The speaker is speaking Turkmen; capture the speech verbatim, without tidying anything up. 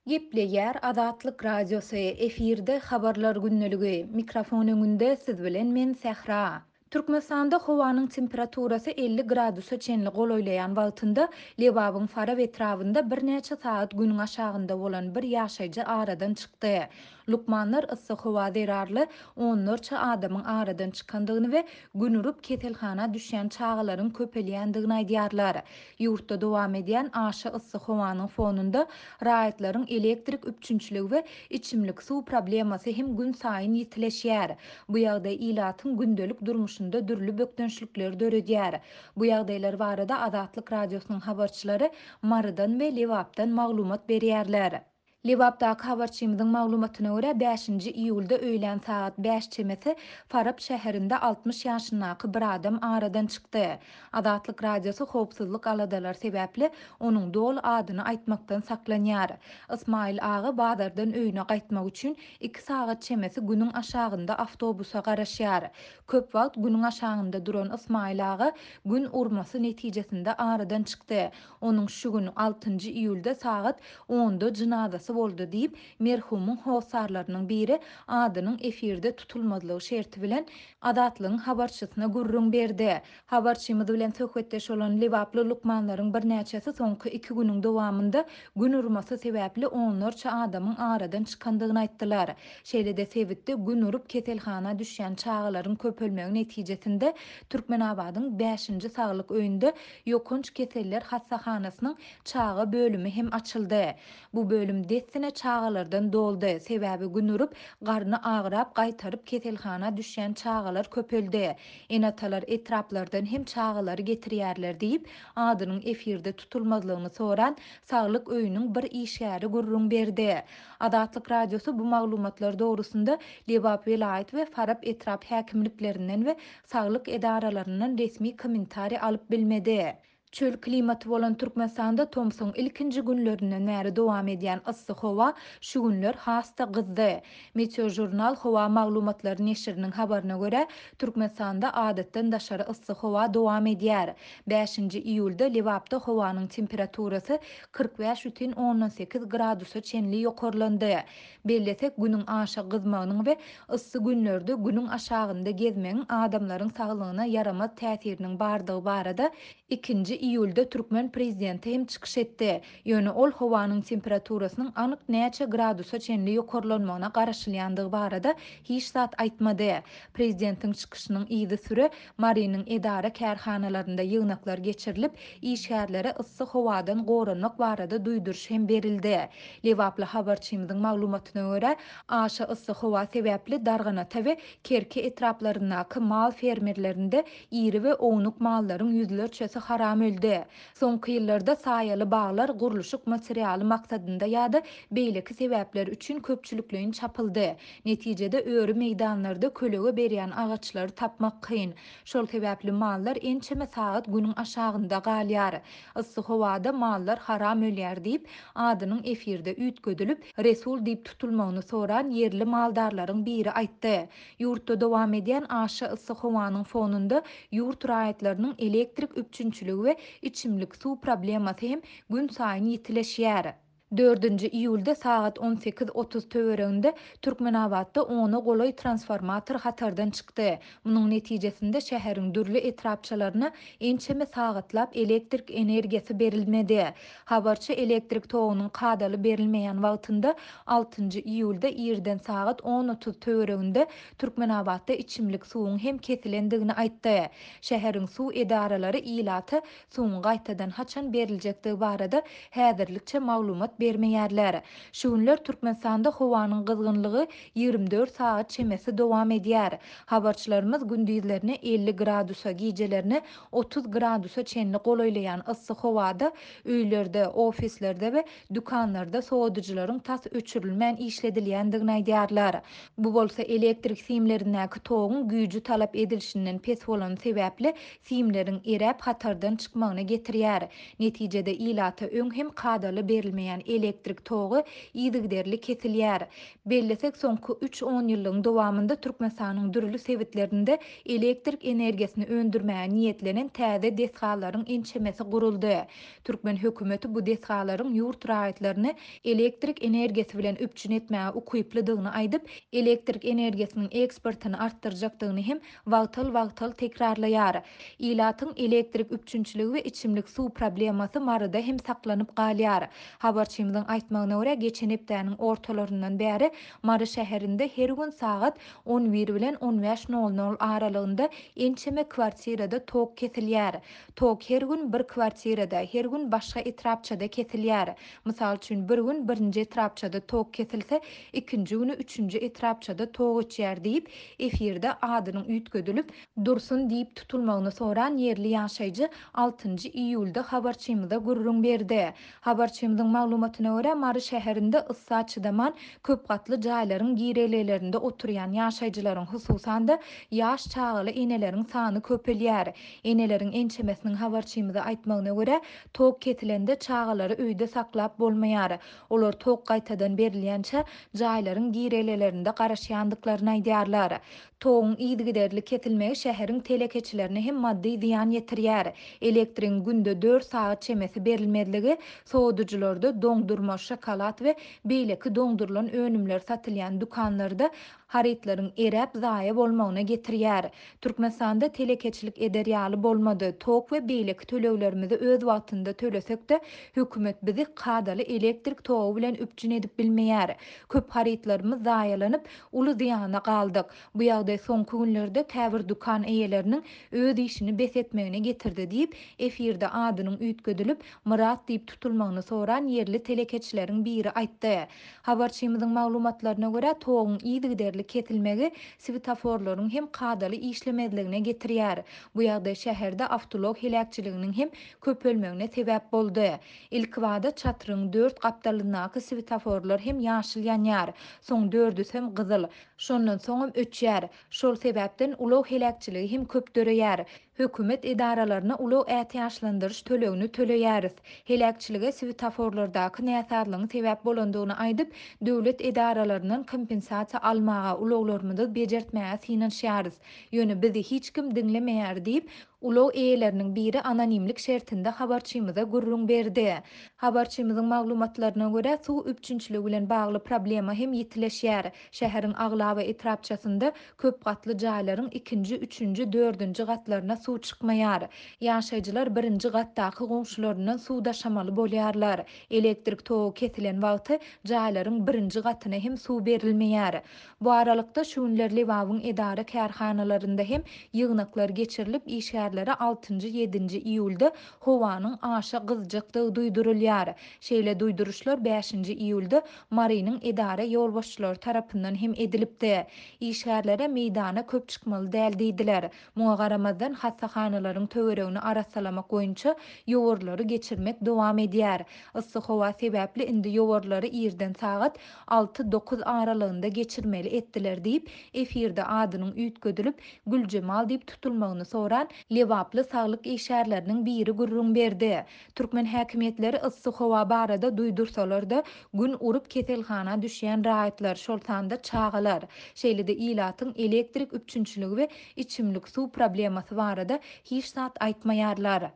Gepleýär Azatlyk Radiosy, efirde Habarlar gündeligi, mikrofon öňünde siz bilen men Sähra. Türkmenistanda howanyň temperaturasy elli gradusa çenli golaýlaýan wagtynda Lebabyň Farap etrabynda birnäçe sagat günüň aşagynda bolan bir ýaşaýjy aradan çykdy. Lukmanlar yssy howa zerarly onlarça adamyň aradan çykandygyny we gün urup keselhana düşýän çagalaryň köpelýändigini aýdýarlar. Ýurtda dowam edýän aşa yssy howanyň fonunda raýatlaryň elektrik üpjünçiligi we içimlik suw problemasy hem gün saýyn ýitileşýär. Bu ýagdaý ilatyň gündelik durmuşynda dürli bökdençlikleri döredýär. Bu ýagdaýlar barada Azatlyk Radiosynyň habarçylary Marydan we Lebapdan maglumat berýärler. Lebapdaky habarçymyzyň maglumatyna görä bäşinji iýulda öýlän sagat bäş çemesi Farap şäherinde altmyş ýaşyndaky bir adam aradan çykdy. Azatlyk Radiosy howpsuzlyk aladalary sebäpli onuň doly adyny aýtmakdan saklanýar. Ismail aga bazardan öýüne gaýtmak üçin iki sagat çemesi günüň aşagynda awtobusa garaşýar. Köp wagt günüň aşagynda duran Ismail aga gün urmasy netijesinde aradan çykdy. Onuň şu gün altynjy iýulda sagat onda jynazasy boldy diýip, merhumyň hossarlarynyň biri adynyň efirde tutulmazlygy şerti bilen Azatlygyň habarçysyna gürrüň berdi. Habarçymyz bilen söhbetdeş bolan Lebaply lukmanlaryň birnäçesi soňky iki günüň dowamynda gün urmasy sebäpli onlarça adamyň aradan çykandygyny aýtdylar. Şeýle-de sebitde gün urup keselhana düşýän çagalaryň köpelmegi netijesinde Türkmenabadyň bäşinji saglyk öýünde ýokanç keseller hassahanasynyň çaga bölümi hem açyldy. Bu bölüm dessine çagalardan doldy. Sebäbi gün urup, garny agyrap gaýtaryp keselhana düşýän çagalar köpeldi. Enatalar etraplardan hem çagalary getirýärler diýip, adynyň efirde tutulmazlygyny soran saglyk öýüniň bir işgäri gürrüň berdi. Azatlyk Radiosy bu maglumatlar dogrusynda Lebap welaýat we Farap etrap häkimliklerinden we saglyk edaralaryndan resmi kommentariý alyp bilmedi. Çöl klimaty bolan Türkmenistanda tomsuň ilkinji günlerinden bäri dowam edýän yssy howa şu günler has-da gyzdy. Meteojurnal howa maglumatlary neşiriniň habaryna görä, Türkmenistanda adatdan daşary yssy howa dowam edýär. Bäşinji iýulda Lebapda howanyň temperaturasy kyrk bäş bütin ondan sekiz gradusa çenli ýokarlandy. Bellesek, günüň aşa gyzmagynyň we yssy günlerde günüň aşagynda gezmegiň adamlaryň saglygyna ýaramaz täsiriniň bardygy barada ikinji iýulda türkmen prezidenti hem çykyş etdi. Ýöne ol howanyň temperaturasynyň anyk näçe gradusa çenli ýokarlanmagyna garaşylýandygy barada hiç zat aýtmady. Prezidentiň çykyşynyň yzy süre Marynyň edara kärhanalarynda ýygnaklar geçirilip, işgärlere yssy howadan goranmak barada duýduryş hem berildi. Lebaply habarçymyzyň maglumatyna görä, aşa yssy howa sebäpli Darganata we Kerki etraplaryndaky mal fermerlerinde iri we ownuk mallaryň ýüzlerçesi haram öldi. Soňky ýyllarda saýaly baglar gurluşyk materialy maksadynda ýa-da beýleki sebäpler üçin köpçülikleýin çapyldy. Netijede öri meýdanlarda kölege berýän agaçlary tapmak kyn. Şol sebäpli mallar ençeme sagat günüň aşagynda galýar. Yssy howada mallar haram ölýär diýip, adynyň efirde üýtgedilip, Resul diýip tutulmagyny soran ýerli maldarlaryň biri aýtdy. Ýurtda dowam edýän aşa yssy howanyň fonunda ýurt raýatlarynyň elektrik üpjünçiligi we içimlik suw problemasy hem gün saýyn ýitileşýär. Dördünji iýulda sagat on sekiz otuz töwereginde Türkmenabatda ona golaý transformator hatardan çykdy. Munuň netijesinde şäheriň dürli etrapçalaryna ençeme sagatlap elektrik energiýasy berilmedi. Habarçy elektrik togunyň kadaly berilmeýän wagtynda altynjy iýulda irden sagat on otuz töwereginde Türkmenabatda içimlik suwuň hem kesilendigini aýtdy. Şäheriň suw edaralary ilata suwuň gaýtadan haçan beriljekdigi barada häzirlikçe maglumat bermeýärler. Şu günler Türkmenistanda howanyň gyzgynlygy ýigrimi dört sagat çemesi dowam edýär. Habarçylarymyz gündizlerine elli gradusa, gijelerine otuz gradusa çenli golaýlaýan yssy howada öýlerde, ofislerde we dükanlarda sowadyjylaryň tas öçürilmän işledilýändigini aýdýarlar. Bu bolsa elektrik simlerindäki toguň güýji talap edilişinden pes bolan sebäpli simleriň eräp hatardan çykmagyna getirýär. Netijede ilata öň hem kadaly berilmeýän elektrik togy yzygiderli kesilýär. Bellesek, soňky üç onýyllygyň dowamynda Türkmenistanyň dürli sebitlerinde elektrik energiýasyny öndürmäge niýetlenen täze desgalaryň ençemesi guruldy. Türkmen hökümeti bu desgalaryň ýurt raýatlaryny elektrik energiýasy bilen üpjün etmäge ukyplydygyny aýdyp, elektrik energiýasynyň eksportyny artdyrjakdygyny hem wagtal-wagtal tekrarlaýar. Ilatyň elektrik üpjünçiligi we içimlik suw problemasy Maryda hem saklanyp galýar. Habarçymyzyň aýtmagyna görä, geçen hepdäniň ortalaryndan bäri Mary şäherinde her gün sagat on bir bilen on bäş nol nol aralygynda ençeme kwartirada tok kesilýär. Tok her gün bir kwartirada, her gün başga etrapçada kesilýär. Mysal üçin, bir gün birinji etrapçada tok kesilse, ikinji güni üçünji etrapçada tok öçýär diýip, efirde adynyň üýtgedilip, Dursun diýip tutulmagyny soran ýerli ýaşaýjy altynjy iýulda habarçymyza gürrüň berdi. Habarçymyzyň maglumatyna görä, Mary şäherinde yssa çydaman köp gatly jaýlaryň girelgelerinde oturýan ýaşaýjylaryň, hususan-da ýaş çagaly eneleriň sany köpelýär. Eneleriň ençemesiniň habarçymyza aýtmagyna görä, tok kesilende çagalary öýde saklap bolmaýar. Olar tok gaýtadan berilýänçä jaýlaryň girelgelerinde garaşýandyklaryny aýdýarlar. Toguň yzygiderli kesilmegi şäheriň telekeçilerine hem maddy zyýan ýetirýär. Elektrigiň günde dört sagat çemesi berilmezligi sowadyjylarda doňdurma, şokolad we beýleki doňdurylan önümler satylýan dükanlarda harytlaryň eräp zaýa bolmagyna getirýär. Türkmenistanda telekeçilik eder ýaly bolmady. Tok we beýleki töleglerimizi öz wagtynda tölesek-de, hökümet bizi kadaly elektrik togy bilen üpjün edip bilmeýär. Köp harytlarymyz zaýalanyp, uly zyýana galdyk. Bu ýagdaý soňky günlerde käbir dükan eýeleriniň öz işini bes etmegine getirdi diýip, efirde adynyň üýtgedilip, Myrat diýip tutulmagyny soran ýerli telekeçileriň biri aýtdy. Habarçymyzyň maglumatlaryna görä, toguň yzygiderli kesilmegi svetoforlaryň hem kadaly işlemezligine getirýär. Bu ýagdaý şäherde awtoulag heläkçiliginiň hem köpelmegine sebäp boldy. Ilkibada çatryň dört gapdalyndaky svetoforlar hem ýaşyl ýanýar. Soň dördüsem gyzyl, şondan soňam öçýär. Şol sebäpden ulag heläkçiligi hem köp döreýär. Hökümet edaralaryna ulag ätiýaçlandyryş tölegini töleýäris. Heläkçilige svetoforlardaky näsazlygyň sebäp bolandygyny aýdyp, döwlet edaralaryndan kompensasiýa almaga, ulaglarymyzy bejertmäge synanyşýarys. Ýöne bizi hiç kim diňlemeýär diýip, ulag eýeleriniň biri anonimlik şertinde habarçymyza gürrüň berdi. Habarçymyzyň maglumatlaryna görä, suw üpjünçiligi bilen bagly problema hem ýitileşýär. Şäheriň aglaba etrapçasynda köp gatly jaýlaryň ikinji, üçünji, dördünji gatlaryna suw çykmaýar. Ýaşaýjylar birinji gatdaky goňşularyndan suw daşamaly bolýarlar. Elektrik togy kesilen wagty jaýlaryň birinji gatyna hem suw berilmeýär. Bu aralykda şu günler Lebabyň edara kärhanalarynda hem ýygnaklar geçirilip, işgärlere altynjy, ýedinji iýulda howanyň aşa gyzjakdygy duýdurylýar. Şeýle duýduryşlar bäşinji iýulda Marynyň edara ýolbaşçylary tarapyndan hem edilipdi. Işgärlere meýdana köp çykmaly däl diýdiler. Muňa garamazdan hassahanalaryň töweregini arassalamak boýunça ýowarlary geçirmek dowam edýär. Yssy howa sebäpli indi ýowarlary irden sagat alty dokuz aralygynda geçirmeli etdiler diýip, efirde adynyň üýtgedilip Güljemal diýip tutulmagyny soran Lebaply saglyk işgärleriniň biri gürrüň berdi. Türkmen häkimiýetleri yssy howa barada duýdursalar-da, gün urup keselhana düşýän raýatlar, şol sanda çagalar, şeýle-de ilatyň elektrik üpjünçiligi we içimlik suw problemasy barada hiç zat aýtmaýarlar.